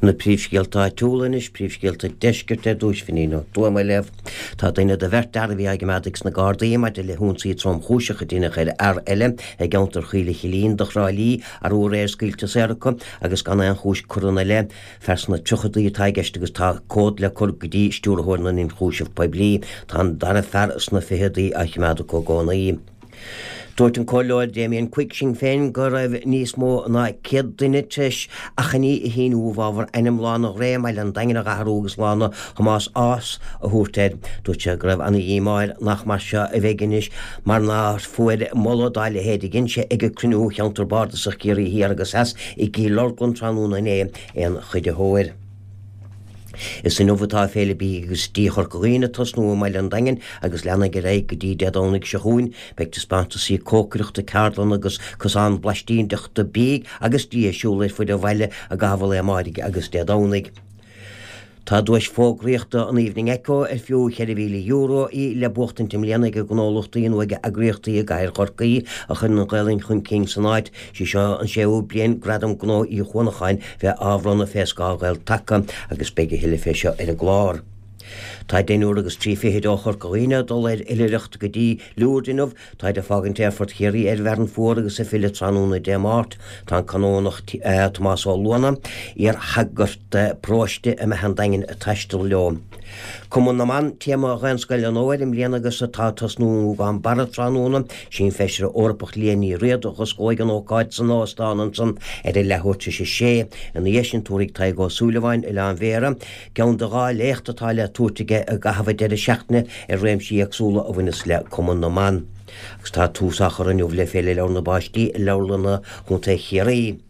Na príomhscéalta áitiúla anois, príomhscéalta deiscirt ar dtúis, Finín Ó Tuama á léamh. Tá duine de bheirt fhear a bhí á gcoimeád ag na Gardaí maidir le hionsaí tromchúiseach a deineadh ar fhear eile i gceantar Choill an Chillín do Thrá Lí arú aréir scaoilte saor acu agus gan aon chúis curtha ina leith. Fear sna tríochadaí atá i gceist agus tá comhad le cur go dtí Stiúrthóir na nIonchúiseamh Poiblí. Tá an dara fear sna ficheadaí á choimeád acu i gcónaí. Dúirt an Comhairleoir Damien Quigg, Sinn Féin, go raibh níos mó ná 100 duine tar éis achainí a shíniú i bhfabhar ainm Lána Ghré i mbaile an Daingin a athrú agus Lána Thomáis Ághas a thabhairt air. Dúirt sé go raibh ana-dhíomá air nach mar seo a bheidh anois mar nár fuair moladh dá leithéid a dhein sé ag cruinniú Cheantar Bardasach Chiarraí Thiar agus Theas i gCill Orglan tráthnóna inné aon chuiditheoir. Is inniu atá Féile Bídh agus Dí Chorca Dhuibhne ag tosnú i mbaile an Daingin agus leanfaidh ar aghaidh go dtí Dé Domhnaigh seo chugainn. Beidh taispeántasaí cócaireachta, ceardlanna agus cosán blaistíneachta bídh agus dí ar siúl ar fuid an bhaile i gcaitheamh an lae amáirigh agus Dé Domhnaigh. Tá duais fógraíochta an Evening Echo ar fiú €4,000 í le buachtaint i mbliana ag gnólachtaí nó ag eagraíochtaí i gcathair Chorcaí a chuireann an Ghaelainn chun cinn san áit. Sí seo an séú bliain Gradam Gnó Uí Chuanacháin bheith á bhronnadh fé scáth Ghael Taca agus beidh a thuilleadh fé seo ar an gclár. Tá deichniúr agus 30 ó Chorca Dhuibhne ag dul ar oilithreacht go dtí Lourdes inniu. Táid ag fágaint Aerfort Chiarraí ar Mhearan Fuar agus ag filleadh tráthnóna Dé Máirt. Tá an Canónach Tomás Ó Luana, iar-shagart paróiste i mBeatha an Daingin ag taisteal leo. Cumann na mBan, téama Dhaonscoil an Fhómhair i mbliana agus atá ag tosnú i nGúgán Barra tráthnóna. Sí an Feisire Eorpach Liadh Ní Riada a dh'osclóidh an ócáid san óstán ansan ar a leathuair tar éis a sé. Ina dhiaidh sin tabharfaidh Tadhg Ó Súilleabháin, Oileán Bhéarra, ceann de dhá léacht atá le tabhairt aige i gcaitheamh an deireadh seachtaine ar réimsí éagsúla a bhaineas le Cumann na mBan. Agus tá tús á chur inniu le Féile Leabhar na bPáistí i Leabharlanna Chontae Chiarraí.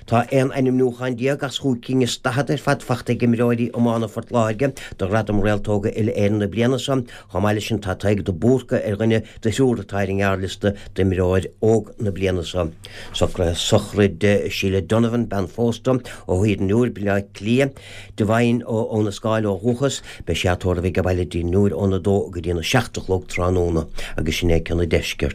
Tá 11 ainmniúchán as chúig cinn is 40 ar fad fachta ag imreoirí iomána Phort Láirge do Ghradam Réaltóga Uile-Éireann na bliana seo. Chomh maith leis sin tá Tadhg de Búrca ar dhuine de thriúr atá ar an ngearrliosta d'Imreoir Óg na bliana seo. Socruithe sochraid Sheila Donovan, bean phósta, ó Thír an Iúir, Baile Átha Cliath, Devine ó Abha na Scáil ó dhúchas. Beidh sí á tórramh age baile i dTír an Iúir óna dó go dtína seacht a chlog tráthnóna agus sin é cionn an deiscirt.